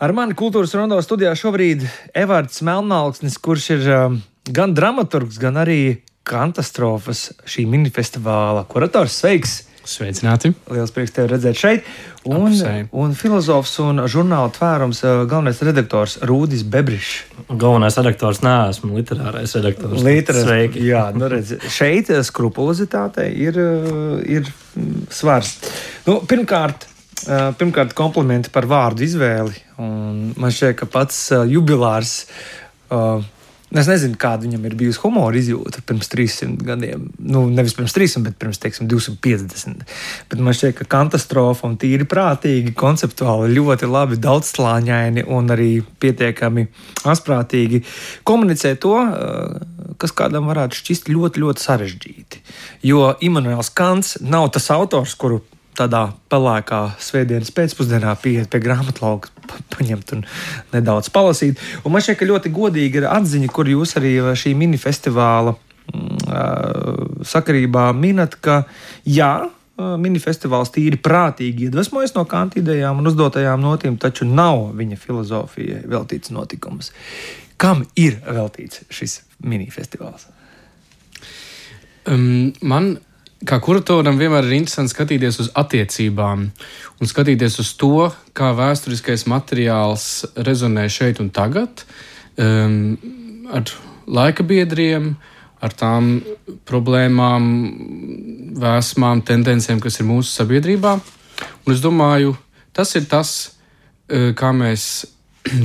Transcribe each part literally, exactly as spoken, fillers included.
Ar mani kultūras rondo studijā šobrīd Evards Melnmalksnis, kurš ir uh, gan dramaturgs, gan arī Katastrofas šī minifestivāla kurators. Sveiks! Sveicināti! Liels prieks tevi redzēt šeit. Un, Apusēji. un filozofs un žurnāla Tvērums uh, galvenais redaktors Rūdis Bebrišs. Galvenais redaktors neesmu, literārais redaktors. Literas, Sveiki! Jā, nu redz, šeit skrupulozitātei ir, uh, ir svars. Nu, pirmkārt, uh, pirmkārt komplimenti par vārdu izvēli. Un man šķiet, ka pats uh, jubilārs, uh, es nezinu, kāda viņam ir bijusi humora izjūta pirms trīssimt gadiem. Nu, nevis pirms trīssimt, bet pirms, teiksim, divsimt piecdesmit. Bet man šķiet, ka Katastrofa un tīri prātīgi, konceptuāli ļoti labi, daudzslāņaini un arī pietiekami asprātīgi komunicē to, uh, kas kādam varētu šķist ļoti, ļoti sarežģīti. Jo Immanuels Kants nav tas autors, kuru tādā pelēkā svētdienas pēcpusdienā pieiet pie grāmatlauka, paņemt un nedaudz palasīt. Un man šķiet, ka ļoti godīga ir atziņa, kur jūs arī šī minifestivāla mm, sakarībā minat, ka jā, minifestivāls tīri prātīgi iedvesmojas no Kanta idejām un uzdotajām notīm, taču nav viņa filozofijai veltīts notikums. Kam ir veltīts šis minifestivāls? Um, man kā kuratoram vienmēr ir interesanti skatīties uz attiecībām un skatīties uz to, kā vēsturiskais materiāls rezonē šeit un tagad um, ar laika biedriem, ar tām problēmām, vēsmām, tendencēm, kas ir mūsu sabiedrībā. Un es domāju, tas ir tas, kā mēs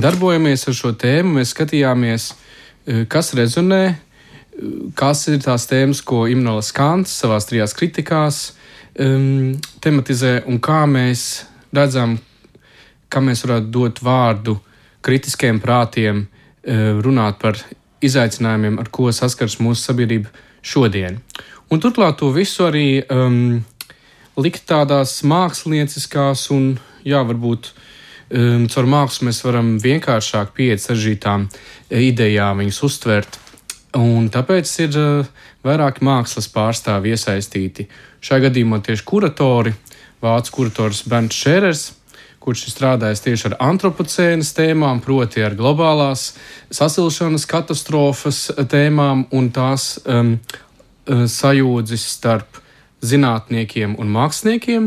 darbojamies ar šo tēmu. Mēs skatījāmies, kas rezonē, kas ir tās tēmas, ko Immanuels Kants savās trijās kritikās um, tematizē, un kā mēs redzam, kā mēs varētu dot vārdu kritiskiem prātiem, uh, runāt par izaicinājumiem, ar ko saskars mūsu sabiedrība šodien. Un turklāt to visu arī um, likt tādās mākslinieckās un, jā, varbūt um, caur mākslu mēs varam vienkāršāk pieiet sarežģītām idejām, viņus uztvert. Un tāpēc ir uh, vairāki mākslas pārstāvi iesaistīti. Šajā gadījumā tieši kuratori, vācu kurators Bernts Šērers, kurš ir strādājis tieši ar antropocēnas tēmām, proti ar globālās sasilšanas katastrofas tēmām un tās um, sajūdzis starp zinātniekiem un māksliniekiem.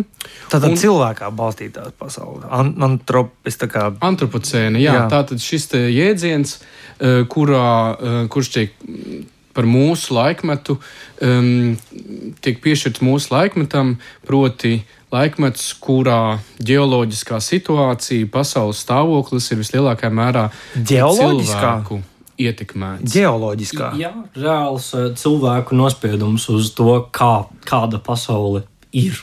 Tātad un, cilvēkā balstītā pasaule. An- antropis, tā kā... Antropocēna, jā, jā. Tātad šis te jēdziens, uh, kurā, uh, kurš tiek par mūsu laikmetu, um, tiek piešķirts mūsu laikmetam, proti laikmets, kurā ģeoloģiskā situācija, pasaules stāvoklis ir vislielākajā mērā cilvēku ietekmēts. Ģeoloģiskā. Jā, reāls cilvēku nospiedums uz to, kā, kāda pasaule ir.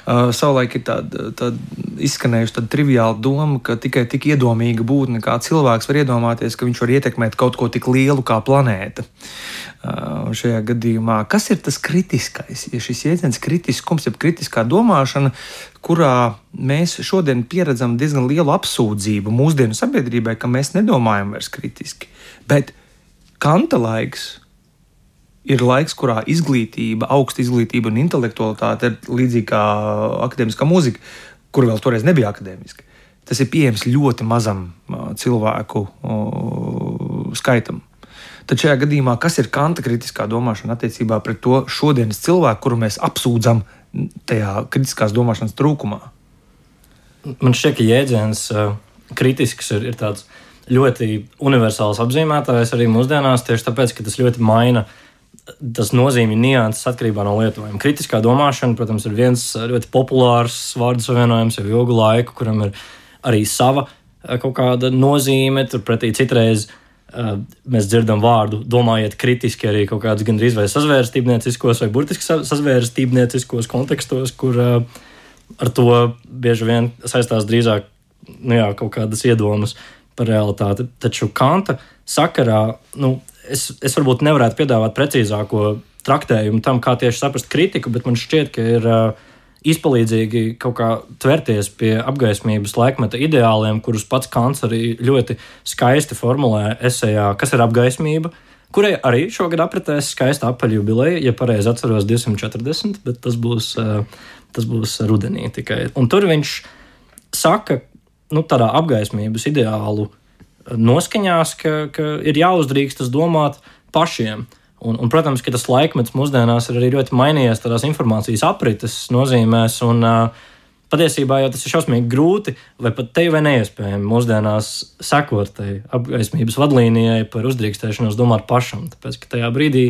Uh, savulaik ir tāda, tāda izskanējuši tāda triviāla doma, ka tikai tik iedomīga būtne kā cilvēks var iedomāties, ka viņš var ietekmēt kaut ko tik lielu kā planēta. Uh, šajā gadījumā, kas ir tas kritiskais? Ja šis jēdziens kritiskums, jeb kritiskā domāšana, kurā mēs šodien pieredzam diezgan lielu apsūdzību mūsdienu sabiedrībai, ka mēs nedomājam vairs kritiski. Bet Kanta laiks ir laiks, kurā izglītība, augsta izglītība un intelektualitāte ir līdzīgi kā akadēmiskā mūzika, kur vēl toreiz nebija akadēmiska. Tas ir pieejams ļoti mazam cilvēku skaitam. Tad šajā gadījumā, kas ir Kanta kritiskā domāšana attiecībā pret to šodienas cilvēku, kuru mēs apsūdzam tajā kritiskās domāšanas trūkumā? Man šķiet, ka jēdziens uh, kritisks ir, ir tāds ļoti universāls apzīmētājs arī mūsdienās, tieši tāpēc, ka tas ļoti maina tas nozīmi nianses atkarībā no lietojuma. Kritiskā domāšana, protams, ir viens ļoti populārs vārdu savienojums jau ilgu laiku, kuram ir arī sava kaut kāda nozīme. Turpretī citreiz uh, mēs dzirdam vārdu, domājiet kritiski arī kaut kādas gandrīz vai sazvērstībnieciskos vai burtiski sazvērstībnieciskos kontekstos, kur uh, ar to bieži vien saistās drīzāk nu jā, kaut kādas iedomas par realitāti. Taču Kanta sakarā, nu, Es, es varbūt nevarētu piedāvāt precīzāko traktējumu tam, kā tieši saprast kritiku, bet man šķiet, ka ir uh, izpalīdzīgi kaut kā tverties pie apgaismības laikmeta ideāliem, kurus pats Kants arī ļoti skaisti formulē esejā, kas ir apgaismība, kurai arī šogad apritēs skaista apaļa jubileja, ja pareizi atceros divsimt četrdesmit, bet tas būs, uh, tas būs rudenī tikai. Un tur viņš saka, nu, tādā apgaismības ideālu noskaņās, ka, ka ir jāuzdrīkstas domāt pašiem. Un, un, protams, ka tas laikmets mūsdienās ir arī ļoti mainījies tādās informācijas aprites nozīmēs, un uh, patiesībā jau tas ir šausmīgi grūti, vai pat te vai neiespējami mūsdienās sekot tai apgaismības vadlīnijai par uzdrīkstēšanos domāt pašam, tāpēc, ka tajā brīdī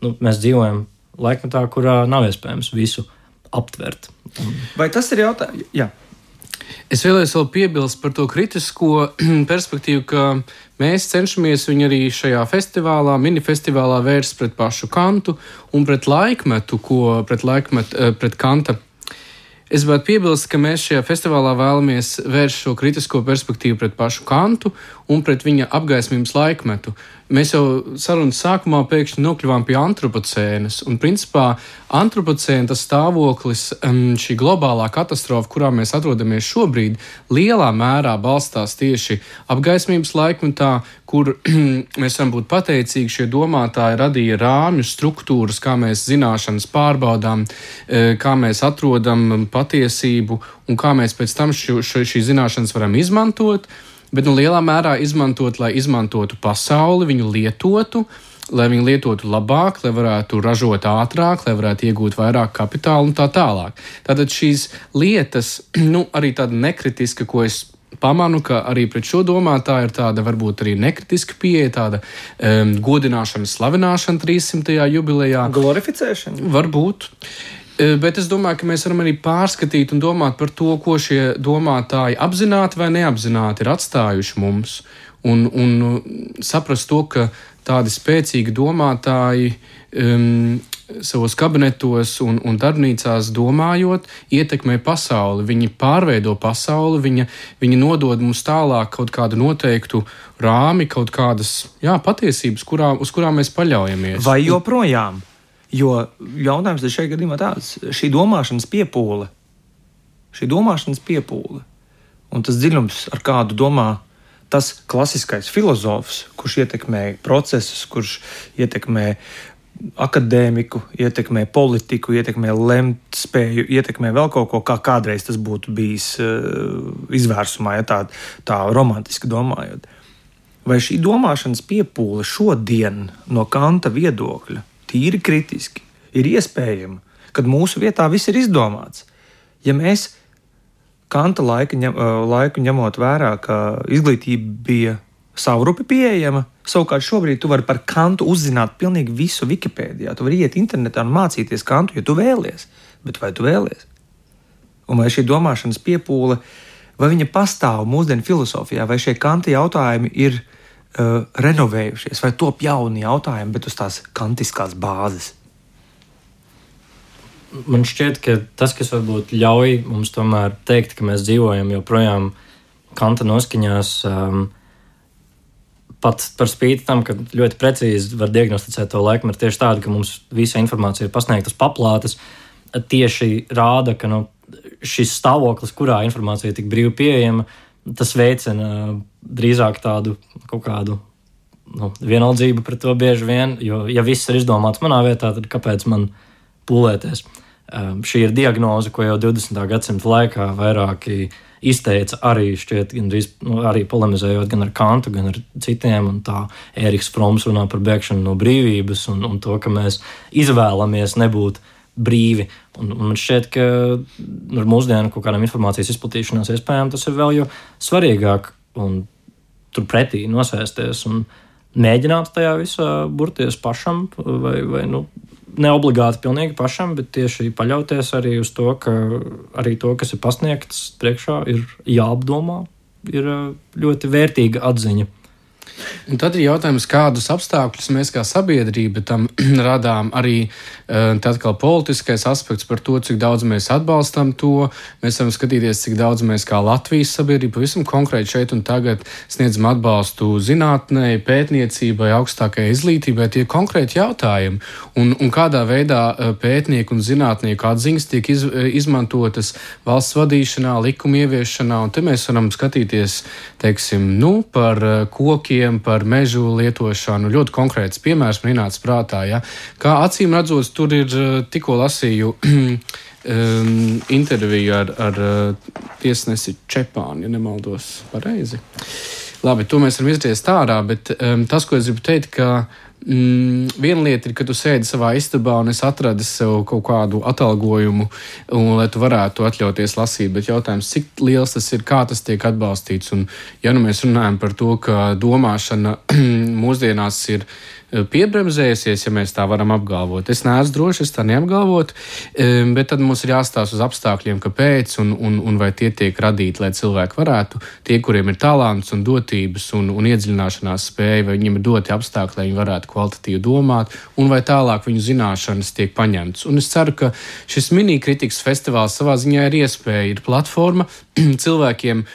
nu, mēs dzīvojam laikmetā, kurā nav iespējams visu aptvert. Vai tas ir jautājums? Jā. Es vēlējos vēl piebilst par to kritisko perspektīvu, ka mēs cenšamies viņu arī šajā festivālā, minifestivālā vērst pret pašu Kantu un pret laikmetu, ko pret, laikmet, pret Kanta. Es gribētu piebilst, ka mēs šajā festivālā vēlamies vērst šo kritisko perspektīvu pret pašu Kantu un pret viņa apgaismības laikmetu. Mēs jau sarunas sākumā pēkšņi nokļuvām pie antropocēnas, un principā antropocēna tas stāvoklis, šī globālā katastrofa, kurā mēs atrodamies šobrīd, lielā mērā balstās tieši apgaismības laikmetā, kur mēs varam būt pateicīgi, šie domātāji radīja rāmju struktūras, kā mēs zināšanas pārbaudām, kā mēs atrodam patiesību un kā mēs pēc tam šo, šo, šī zināšanas varam izmantot. Bet nu, lielā mērā izmantot, lai izmantotu pasauli, viņu lietotu, lai viņu lietotu labāk, lai varētu ražot ātrāk, lai varētu iegūt vairāk kapitāla un tā tālāk. Tātad šīs lietas, nu, arī tāda nekritiska, ko es pamanu, ka arī pret šo domātāju ir tāda varbūt arī nekritiska pieeja, tāda um, godināšana, slavināšana trīssimtajā jubilejā. Glorificēšana? Varbūt. Bet es domāju, ka mēs varam arī pārskatīt un domāt par to, ko šie domātāji apzināti vai neapzināti ir atstājuši mums. Un, un saprast to, ka tādi spēcīgi domātāji um, savos kabinetos un, un darbnīcās domājot, ietekmē pasauli. Viņi pārveido pasauli, viņa, viņi nodod mums tālāk kaut kādu noteiktu rāmi, kaut kādas jā, patiesības, kurā, uz kurām mēs paļaujamies. Vai joprojām? Jo jautājums ir šajā gadījumā tāds, šī domāšanas piepūle, šī domāšanas piepūle un tas dziļums, ar kādu domā tas klasiskais filozofs, kurš ietekmē procesus, kurš ietekmē akadēmiku, ietekmē politiku, ietekmē lemtspēju, ietekmē vēl kaut ko, kā kādreiz tas būtu bijis uh, izvērsumā, ja tā, tā romantiski domājot. Vai šī domāšanas piepūle šodien no Kanta viedokļa tīri kritiski ir iespējama, kad mūsu vietā viss ir izdomāts. Ja mēs Kanta laika, ņem, laiku ņemot vērā, ka izglītība bija savrupi pieejama, savukārt šobrīd tu vari par Kantu uzzināt pilnīgi visu Wikipēdijā. Tu vari iet internetā un mācīties Kantu, ja tu vēlies. Bet vai tu vēlies? Un vai šī domāšanas piepūle, vai viņa pastāv mūsdienu filosofijā, vai šie Kanta jautājumi ir Uh, renovējušies, vai top jauni jautājumi, bet uz tās kantiskās bāzes? Man šķiet, ka tas, kas varbūt ļauj mums tomēr teikt, ka mēs dzīvojam joprojām Kanta noskaņās, um, pat par spīti tam, ka ļoti precīzi var diagnosticēt to laiku, ir tieši tāda, ka mums visa informācija ir pasniegtas paplātes, tieši rāda, ka nu, šis stāvoklis, kurā informācija ir tik brīvi pieejama, tas veicina drīzāk tādu kaut kādu nu, vienaldzību pret to bieži vien, jo, ja viss ir izdomāts manā vietā, tad kāpēc man pūlēties? Um, šī ir diagnoze, ko jau divdesmitā gadsimta laikā vairāki izteica arī šķiet, gandrīz, nu, arī polemizējot gan ar Kantu, gan ar citiem, un tā Ēriks Froms runā par bēgšanu no brīvības un, un to, ka mēs izvēlamies nebūt brīvi. Un, un man šķiet, ka ar mūsdienu kaut kādām informācijas izplatīšanās iespējām tas ir vēl jo svarīgāk un turpretī nosēsties un mēģināt tajā visā burties pašam vai, vai nu, neobligāti pilnīgi pašam, bet tieši paļauties arī uz to, ka arī to, kas ir pasniegts priekšā, ir jāapdomā, ir ļoti vērtīga atziņa. Un tad ir jautājums, kādus apstākļus mēs kā sabiedrība tam radām. Arī tad kā politiskais aspekts par to, cik daudz mēs atbalstam to. Mēs varam skatīties, cik daudz mēs kā Latvijas sabiedrība pavisam konkrēti šeit un tagad sniedzam atbalstu zinātnei, pētniecībai, augstākajai izglītībai. Tie konkrēti jautājumi. Un, un kādā veidā pētnieku un zinātnieku atziņas tiek iz, izmantotas valsts vadīšanā, likuma ieviešanā. Un te mēs varam skatīties, teiksim, nu, par kokiem, par par mežu lietošanu. Ļoti konkrēts piemērs man ienāca prātā. Ja? Kā acīm redzot, tur ir tikko lasīju um, interviju ar, ar tiesnesi Čepānu, ja nemaldos pareizi. Labi, to mēs varam izdarīt ārā, bet um, tas, ko es gribu teikt, ka Mm, viena lieta ir, ka tu sēdi savā istabā un es atradu sev kaut kādu atalgojumu, un, lai tu varētu atļauties lasīt, bet jautājums, cik liels tas ir, kā tas tiek atbalstīts. Un, ja nu mēs runājam par to, ka domāšana mūsdienās ir piebremzējusies, ja mēs tā varam apgalvot. Es neesmu droši, es tā neapgalvotu, bet tad mums ir jāstāsta uz apstākļiem, kāpēc un, un, un vai tie tiek radīti, lai cilvēki varētu, tie, kuriem ir talants un dotības un, un iedziļināšanās spēja, vai viņiem ir doti apstākļi, lai viņi varētu kvalitatīvi domāt, un vai tālāk viņu zināšanas tiek paņemtas. Un es ceru, ka šis mini-kritikas festivāls savā ziņā ir iespēja, ir platforma cilvēkiem,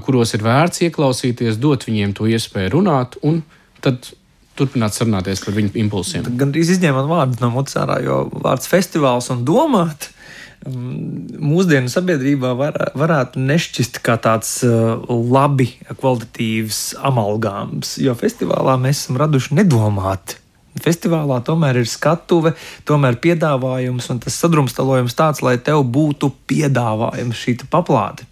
kuros ir vērts ieklausīties, dot viņiem to iespēju runāt, un tad turpināt sarunāties par viņu impulsiem. Gan arī izņēmot vārdu no mutes ārā, jo vārds festivāls un domāt mūsdienu sabiedrībā var, varētu nešķist kā tāds labi kvalitatīvs amalgāms, jo festivālā mēs esam raduši nedomāt. Festivālā tomēr ir skatuve, tomēr piedāvājums un tas sadrumstalojums tāds, lai tev būtu piedāvājums šī paplāte.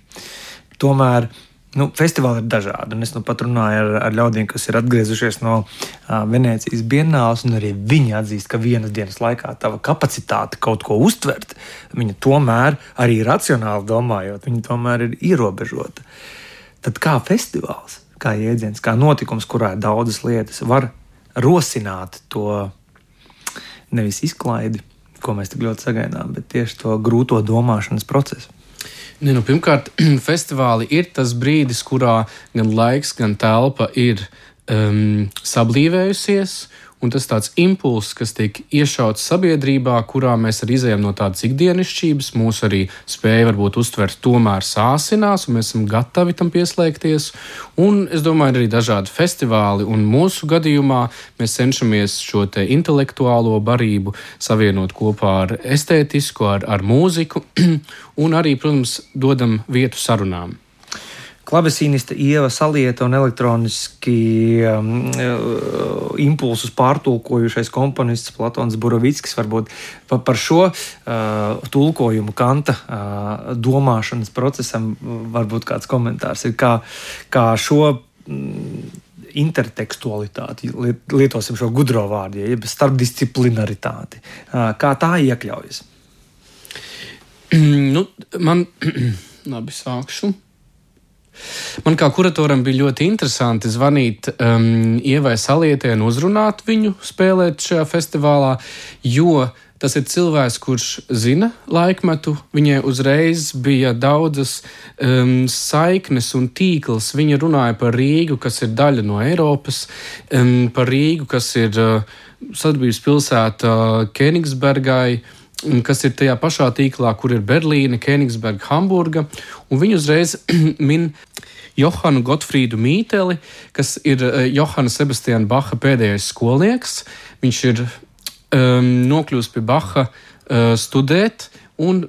Tomēr Nu, festivāli ir dažādi, un es nu pat runāju ar, ar ļaudīm, kas ir atgriezušies no uh, Venēcijas bienāles, un arī viņi atzīst, ka vienas dienas laikā tava kapacitāte kaut ko uztvert, viņa tomēr arī racionāli domājot, viņa tomēr ir ierobežota. Tad kā festivāls, kā jēdziens, kā notikums, kurā ir daudzas lietas, var rosināt to nevis izklaidi, ko mēs tik ļoti sagaidām, bet tieši to grūto domāšanas procesu. Ne, nu, pirmkārt, festivāli ir tas brīdis, kurā gan laiks, gan telpa ir um, sablīvējusies, un tas tāds impulss, kas tiek iešauts sabiedrībā, kurā mēs arī izējām no tādas ikdienišķības, mūsu arī spēja varbūt uztvert tomēr sāsinās, un mēs esam gatavi tam pieslēgties. Un es domāju, arī dažādi festivāli, un mūsu gadījumā mēs cenšamies šo te intelektuālo barību savienot kopā ar estētisku, ar, ar mūziku, un arī, protams, dodam vietu sarunām. Klavesīniste Ieva Salieta un elektroniski um, impulsus pārtulkojušais komponists Platons Borovickis varbūt par šo uh, tulkojumu Kanta uh, domāšanas procesam varbūt kāds komentārs ir, kā, kā šo mm, intertekstualitāti, lietosim šo gudro vārdu, jeb starpdisciplinaritāti, uh, kā tā iekļaujas? Nu, man, labi, sākšu. Man kā kuratoram bija ļoti interesanti zvanīt um, Ievai Salietē un uzrunāt viņu spēlēt šajā festivālā, jo tas ir cilvēks, kurš zina laikmetu. Viņai uzreiz bija daudzas um, saiknes un tīkls. Viņa runāja par Rīgu, kas ir daļa no Eiropas, um, par Rīgu, kas ir uh, sadarbības pilsēta uh, Kenigsbergai, kas ir tajā pašā tīklā, kur ir Berlīne, Königsberga, Hamburga, un viņu uzreiz min Johanu Gotfrīdu Mīteli, kas ir Johana Sebastiana Baha pēdējais skolnieks. Viņš ir um, nokļūst pie Baha uh, studēt, un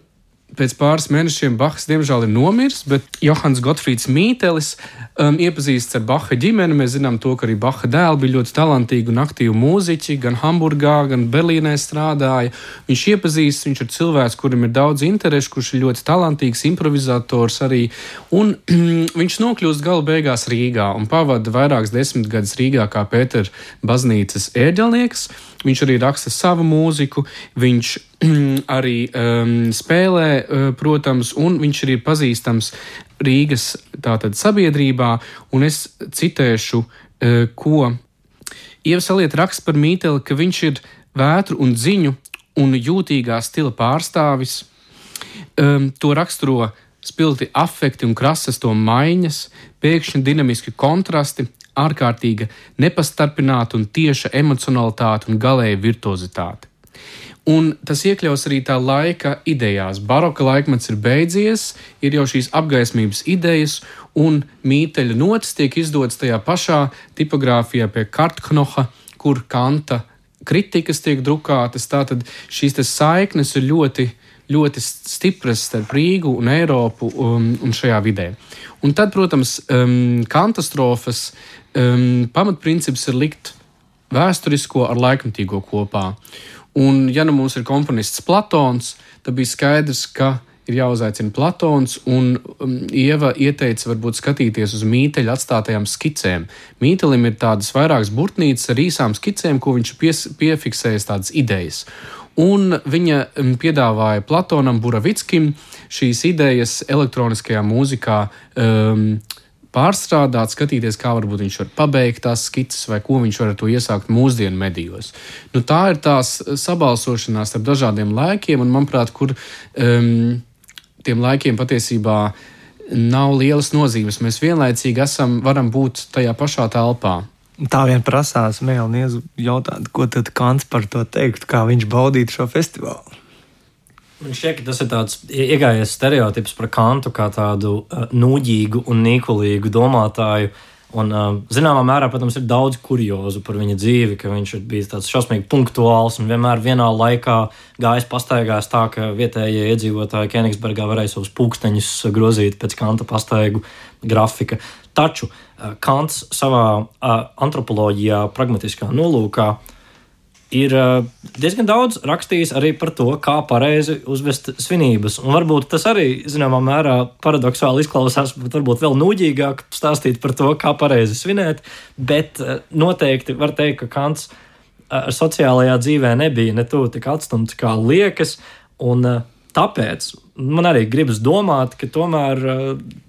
pēc pāris mēnešiem Bahs diemžēl ir nomiris, bet Johans Gotfrīds Mītelis um, iepazīsts ar Baha ģimeni. Mēs zinām to, ka arī Baha dēli bija ļoti talantīgi un aktīvi mūziķi, gan Hamburgā, gan Berlīnē strādāja. Viņš iepazīst, viņš ir cilvēks, kurim ir daudz interešu, kurš ir ļoti talantīgs improvizators arī, un viņš nokļūst gala beigās Rīgā un pavada vairākas desmitgadus Rīgā kā Pētera baznīcas ērģelnieks. Viņš arī raksta savu mūziku, viņš arī um, spēlē, uh, protams, un viņš arī ir pazīstams Rīgas tātad sabiedrībā, un es citēšu, uh, ko Ieva Salieta raksta par Mīteli, ka viņš ir vētru un dziņu un jūtīgā stila pārstāvis. Um, to raksturo spilgti afekti un krasas to maiņas, pēkšņi dinamiski kontrasti, ārkārtīga nepastarpināta un tieša emocionalitāte un galēja virtuozitāte. Un tas iekļaus arī tā laika idejās. Baroka laikmets ir beidzies, ir jau šīs apgaismības idejas, un Mīteļa notis tiek izdotas tajā pašā tipogrāfijā pie Kartknoha, kur Kanta kritikas tiek drukātas. Tātad šīs saiknes ir ļoti ļoti stipras starp Rīgu un Eiropu un, un šajā vidē. Un tad, protams, um, katastrofas um, pamatprincips ir likt vēsturisko ar laikmetīgo kopā. Un, ja nu mums ir komponists Platons, tad bija skaidrs, ka ir jāuzaicina Platons, un um, Ieva ieteica varbūt skatīties uz Mīteļa atstātajām skicēm. Mītelim ir tādas vairākas burtnīcas ar īsām skicēm, ko viņš pies, piefiksējas tādas idejas. Un viņa um, piedāvāja Platonam Buravickim šīs idejas elektroniskajā mūzikā um, pārstrādāt, skatīties, kā varbūt viņš var pabeigt tās skices vai ko viņš var ar to iesākt mūsdienu medijos. Nu, tā ir tās sabalsošanās ar dažādiem laikiem, un, manuprāt, kur um, tiem laikiem patiesībā nav lielas nozīmes. Mēs vienlaicīgi esam, varam būt tajā pašā telpā. Tā vien prasās Mēlnies jautāt, ko tad Kants par to teikt, kā viņš baudītu šo festivālu. Man šķiet, ka tas ir tāds iegājies stereotips par Kantu kā tādu uh, nūģīgu un nīkulīgu domātāju. Un, uh, zināmā mērā, protams, ir daudz kuriozu par viņa dzīvi, ka viņš ir bijis tāds šausmīgi punktuāls un vienmēr vienā laikā gājis pastaigās tā, ka vietējie iedzīvotāji Kenigsbergā varēja savus pulksteņus grozīt pēc Kanta pastaigu grafika. Taču uh, Kants savā uh, antropoloģijā, pragmatiskā nolūkā ir diezgan daudz rakstījis arī par to, kā pareizi uzvest svinības. Un varbūt tas arī, zināmā mērā, paradoksāli izklausās, bet varbūt vēl nūģīgāk stāstīt par to, kā pareizi svinēt, bet noteikti var teikt, ka Kants ar sociālajā dzīvē nebija ne tuvu tik atstumts, kā liekas, un tāpēc man arī gribas domāt, ka tomēr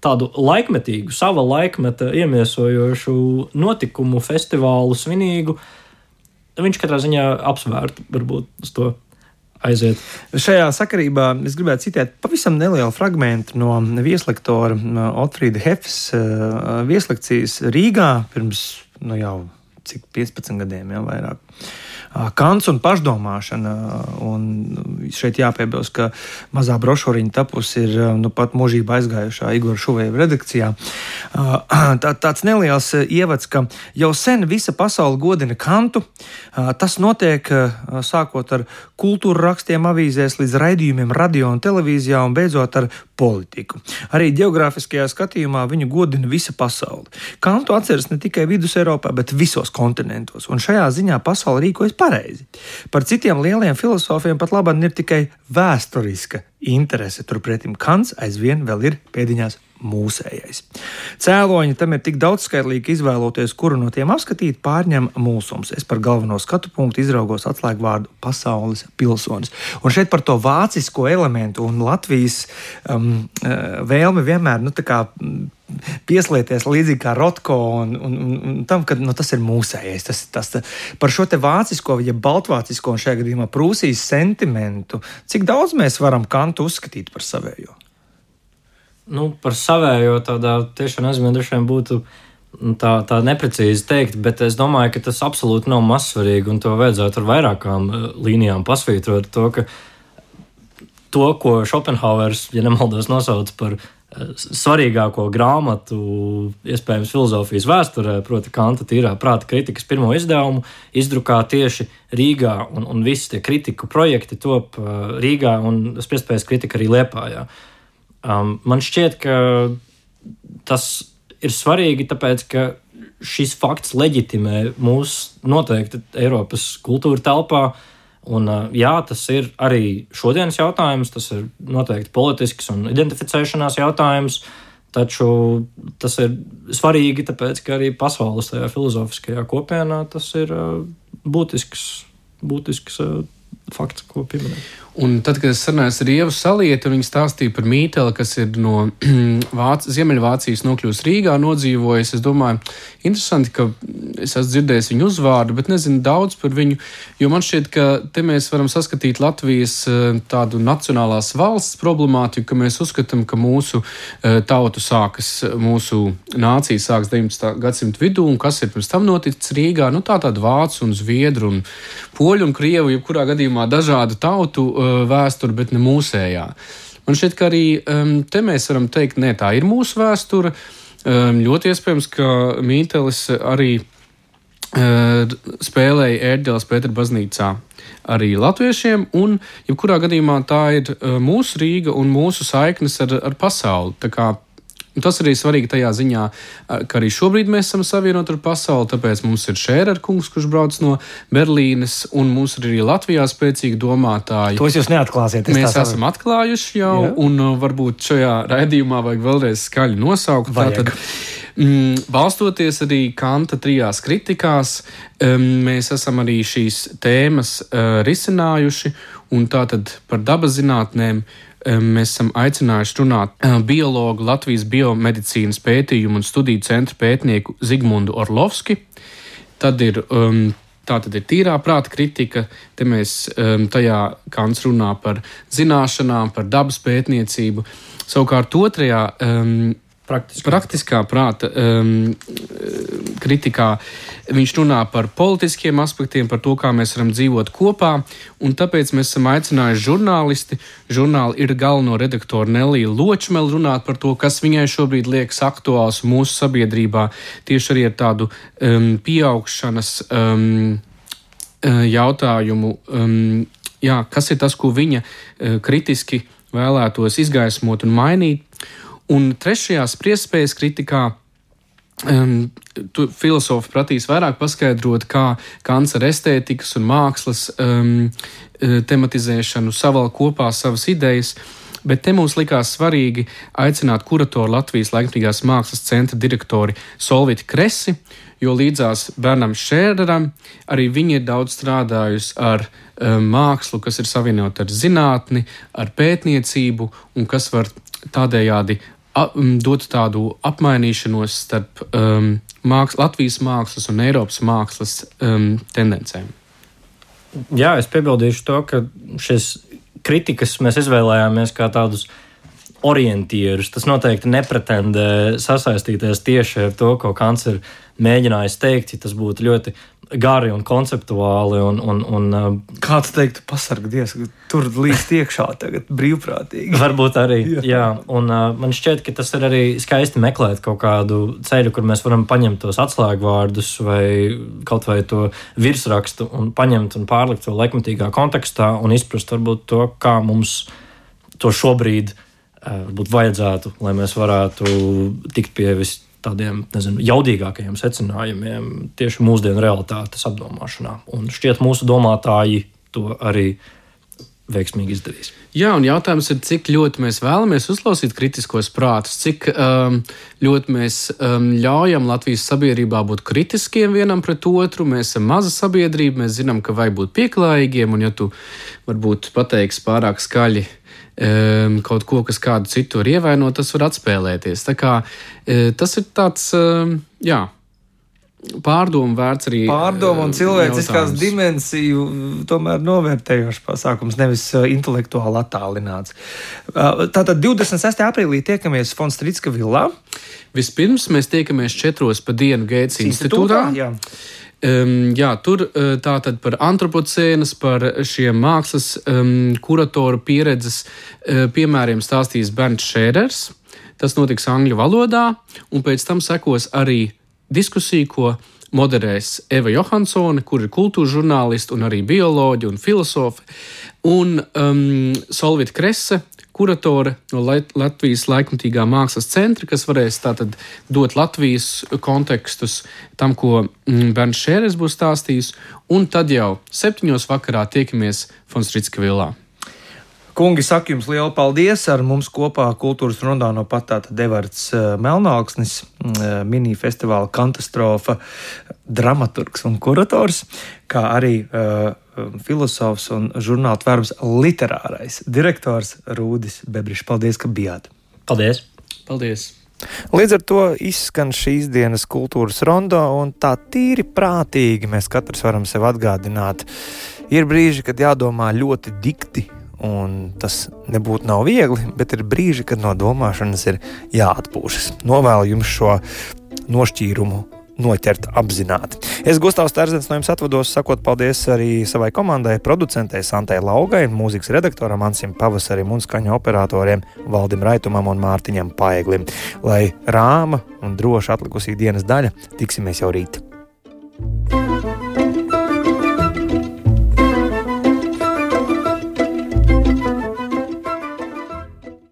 tādu laikmetīgu, sava laikmeta iemiesojošu notikumu, festivālu, svinīgu, viņš katrā ziņā apsvērtu, varbūt uz to aiziet. Šajā sakarībā es gribētu citēt pavisam nelielu fragmentu no vieslektora Otfrīda Hefes vieslekcijas Rīgā pirms, nu jau, cik piecpadsmit gadiem, jau vairāk. Kants un pašdomāšana, un šeit jāpiebilst, ka mazā brošūriņa tapusi ir nu pat mūžībā aizgājušā Igora Šuvejeva redakcijā. Tā, tāds neliels ievads, ka jau sen visa pasaule godina Kantu. Tas notiek sākot ar kultūra rakstiem avīzēs līdz raidījumiem radio un televīzijā un beidzot ar politiku. Arī geogrāfiskajā skatījumā viņu godina visa pasaule. Kantu atceras ne tikai Vidus Eiropā, bet visos kontinentos, un šajā ziņā pasaule rīkojas pareizi. Par citiem lieliem filozofiem pat labāk ir tikai vēsturiska interese, turpretim Kants aizvien vēl ir pēdiņās mūsējais. Cēloņi tam ir tik daudzskaitlīgi izvēloties, kuru no tiem apskatīt, pārņem mūsums. Es par galveno skatu punktu izraugos atslēgvārdu pasaules pilsonis. Un šeit par to vācisko elementu un Latvijas um, vēlmi vienmēr, nu, tā kā pieslieties līdzīgi kā Rotko un, un, un tam, ka nu, tas ir mūsējais. Tas, tas, par šo te vācisko, ja baltvācisko un šajā gadījumā Prūsijas sentimentu, cik daudz mēs varam Kantu uzskatīt par savējo? Nu, par savējo tādā tiešām aizmēdušiem būtu tā, tā neprecīzi teikt, bet es domāju, ka tas absolūti nav mazsvarīgi un to vajadzētu ar vairākām līnijām pasvītrot to, ka to, ko Šopenhauers, ja nemaldos, nosauc par svarīgāko grāmatu, iespējams, filozofijas vēsturē, proti Kanta tīrā prāta kritikas pirmo izdevumu, izdrukā tieši Rīgā, un, un visi tie kritiku projekti top Rīgā, un spiestpējas kritika arī Liepājā. Um, man šķiet, ka tas ir svarīgi, tāpēc, ka šis fakts leģitimē mūs noteikti Eiropas kultūra telpā, un uh, jā, tas ir arī šodienas jautājums, tas ir noteikti politisks un identificēšanās jautājums, taču tas ir svarīgi, tāpēc, ka arī pasaules tajā filozofiskajā kopienā tas ir uh, būtisks, būtisks uh, fakts, ko pieminēt. Un tad, kad es sarunājos ar Ievu Salieti, viņa stāstīja par Mīteli, kas ir no Vāc, Ziemeļvācijas nokļūst Rīgā, nodzīvojis. Es domāju, interesanti, ka es esmu dzirdējis viņu uzvārdu, bet nezinu daudz par viņu, jo man šķiet, ka te mēs varam saskatīt Latvijas tādu nacionālās valsts problemātiku, ka mēs uzskatām, ka mūsu tautu sākas, mūsu nācija sāks deviņpadsmitā gadsimta vidū, un kas ir pirms tam noticis Rīgā, nu tā tāda vācu un zviedru un poļu un krievu, jebkurā gadījumā dažādu tautu vēsturi, bet ne mūsējā. Man šķiet, ka arī um, te mēs varam teikt, nē, tā ir mūsu vēsture. Um, ļoti iespējams, ka Mītelis arī spēlēja Ērģeles Pētera baznīcā arī latviešiem, un jebkurā gadījumā tā ir mūsu Rīga un mūsu saiknes ar, ar pasauli. Tā kā tas arī svarīgi tajā ziņā, ka arī šobrīd mēs esam savienoti ar pasauli, tāpēc mums ir Šērer kungs, kurš brauc no Berlīnes, un mums ir arī Latvijā spēcīgi domātāji. Tos jūs neatklāsiet. Mēs esam atklājuši jau, Jā. un varbūt šajā raidījumā vajag vēlreiz skaļi nosaukt. Tātad, mm, balstoties arī Kanta trijās kritikās, um, mēs esam arī šīs tēmas uh, risinājuši, un tātad par dabas zinātnēm mēs esam aicinājuši runāt biologu Latvijas biomedicīnas pētījumu un studiju centra pētnieku Zigmundu Orlovski. Tad ir, um, tā tad ir tīrā prāta kritika. Te mēs um, tajā Kants runā par zināšanām, par dabas pētniecību. Savukārt otrajā um, Praktiskā, praktiskā prāta um, kritikā viņš runā par politiskiem aspektiem, par to, kā mēs varam dzīvot kopā, un tāpēc mēs esam aicinājuši žurnālisti. Žurnāli ir galveno redaktoru Neliju Ločmeli runāt par to, kas viņai šobrīd liekas aktuāls mūsu sabiedrībā, tieši arī ar tādu um, pieaugšanas um, jautājumu. Um, jā, kas ir tas, ko viņa uh, kritiski vēlētos izgaismot un mainīt. Un trešajā spriestspējas kritikā um, filozofi prasīs vairāk paskaidrot, kā Kants ar estētikas un mākslas um, tematizēšanu saval kopā savas idejas, bet te mums likās svarīgi aicināt kuratoru Latvijas laikmatīgās mākslas centra direktori Solviti Kresi, jo līdzās Bernam Šēreram arī viņi ir daudz strādājusi ar um, mākslu, kas ir savienota ar zinātni, ar pētniecību un kas var tādējādi dot tādu apmainīšanos starp um, māks, Latvijas mākslas un Eiropas mākslas um, tendencēm. Jā, es piebildīšu to, ka šis kritikas mēs izvēlējāmies kā tādus orientierus. Tas noteikti nepretendē sasaistīties tieši ar to, ko Kants ir mēģinājis teikt, ja tas būtu ļoti gari un konceptuāli. Un, un, un, Kāds teiktu, pasargdies, ka tur līdz iekšā tagad brīvprātīgi. Varbūt arī, jā. jā. Un uh, man šķiet, ka tas ir arī skaisti meklēt kaut kādu ceļu, kur mēs varam paņemt tos atslēgvārdus vai kaut vai to virsrakstu un paņemt un pārlikt to laikmatīgā kontekstā un izprast varbūt to, kā mums to šobrīd uh, varbūt vajadzētu, lai mēs varētu tikt pie vis tādiem, nezinu, jaudīgākajiem secinājumiem tieši mūsdienu realitātes apdomāšanā. Un šķiet, mūsu domātāji to arī veiksmīgi izdarīs. Jā, un jautājums ir, cik ļoti mēs vēlamies uzklausīt kritiskos prātus, cik um, ļoti mēs um, ļaujam Latvijas sabiedrībā būt kritiskiem vienam pret otru. Mēs esam maza sabiedrība, mēs zinām, ka vajag būt pieklājīgiem, un ja tu varbūt pateiksi pārāk skaļi Um, kaut ko, kas kādu citu var ievainot, tas var atspēlēties. Tā kā uh, tas ir tāds, uh, jā, pārdomu vērts arī. Pārdomu un cilvēciskās dimensiju tomēr novērtējošs pasākums, nevis uh, intelektuāli attālināts. Uh, tātad divdesmit sestajā aprīlī tiekamies Von Strīdska villā. Vispirms mēs tiekamies četros pa dienu Gētas institūtā. Jā. Um, jā, tur uh, tātad par antropocēnas, par šiem mākslas um, kuratoru pieredzes uh, piemēriem stāstīs Bernts Šērers. Tas notiks angļu valodā, un pēc tam sekos arī diskusija, ko moderēs Eva Johansone, kur ir kultūra žurnālisti un arī bioloģi un filozofi, un um, Solvita Krese, kuratore no Latvijas laikmatīgā mākslas centra, kas varēs tātad dot Latvijas kontekstus tam, ko Bernts Šērers būs stāstījis, un tad jau septiņos vakarā tiekamies Von Strīdska villā. Kungi, saku jums lielu paldies. Ar mums kopā kultūras rundā no pat tātad Evarts Melnāksnis, mini-festivāla Katastrofa dramaturgs un kurators, kā arī uh, filosofs un žurnāla Tvērbs literārais direktors Rūdis Bebrišs. Paldies, ka bijāt. Paldies. Paldies. Līdz ar to izskan šīs dienas kultūras rondo, un tā tīri prātīgi mēs katrs varam sev atgādināt. Ir brīži, kad jādomā ļoti dikti, un tas nebūtu nav viegli, bet ir brīži, kad no domāšanas ir jāatpūšas. Novēlu jums šo nošķīrumu noķert apzināti. Es, Gustavs Terzens, no jums atvados, sakot paldies arī savai komandai, producentei Santai Laugai, mūzikas redaktoram Ansim Pavasarim un skaņu operatoriem Valdim Raitumam un Mārtiņam Paeglim. Lai rāma un droši atlikusī dienas daļa, tiksimies jau rīt.